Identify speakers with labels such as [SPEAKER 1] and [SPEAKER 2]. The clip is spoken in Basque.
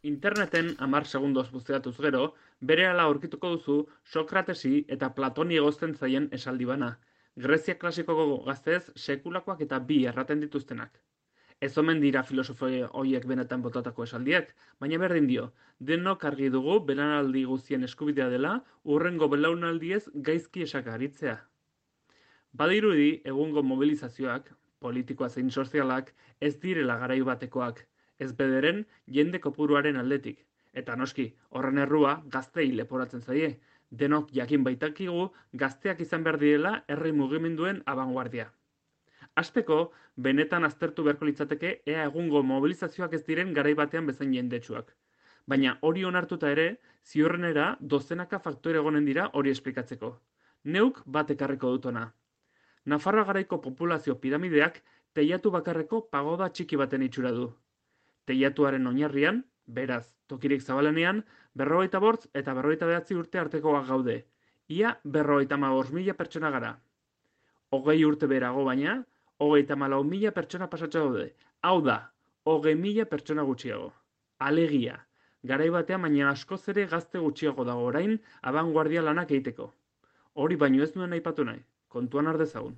[SPEAKER 1] Interneten 10 segundoz buzeatuz gero, berehala aurkituko duzu Sokratesi eta Platoni egozten zaien esaldi bana. Grezia klasikoko gaztez sekulakoak eta bi erraten dituztenak. Ez omen dira filosofo hoiek benetan botatako esaldiak, baina berdin dio, denok argi dugu belaunaldi guztien eskubidea dela hurrengo belaunaldiez gaizki esakaritzea. Badirudi egungo mobilizazioak, politikoa zein sozialak, ez direla garai batekoak, ez bederen jende kopuruaren aldetik. Eta noski, horren errua gaztei leporatzen zaie. Denok jakin baitakigu gazteak izan behar direla herri mugimenduen abanguardia. Hasteko, benetan aztertu beharko litzateke ea egungo mobilizazioak ez diren garai batean bezain jendetsuak. Baina hori onartuta ere, ziurrenera dozenaka faktore egonen dira hori esplikatzeko. Neuk bat ekarriko dut hona. Nafarroa garaiko populazio piramideak teilatu bakarreko pagoda txiki baten itxura du. Teilatuaren oinarrian, beraz, tokirik zabalenean, 55 eta 59 urte artekoak gaude. Ia 55.000 pertsona gara. 20 urte berago baina, 34.000 pertsona pasatxo daude. Hau da, 20.000 pertsona gutxiago. Alegia, garai batean baina askoz ere gazte gutxiago dago orain abanguardia lanak egiteko. Hori baino ez duen aipatu nahi, kontuan har dezagun.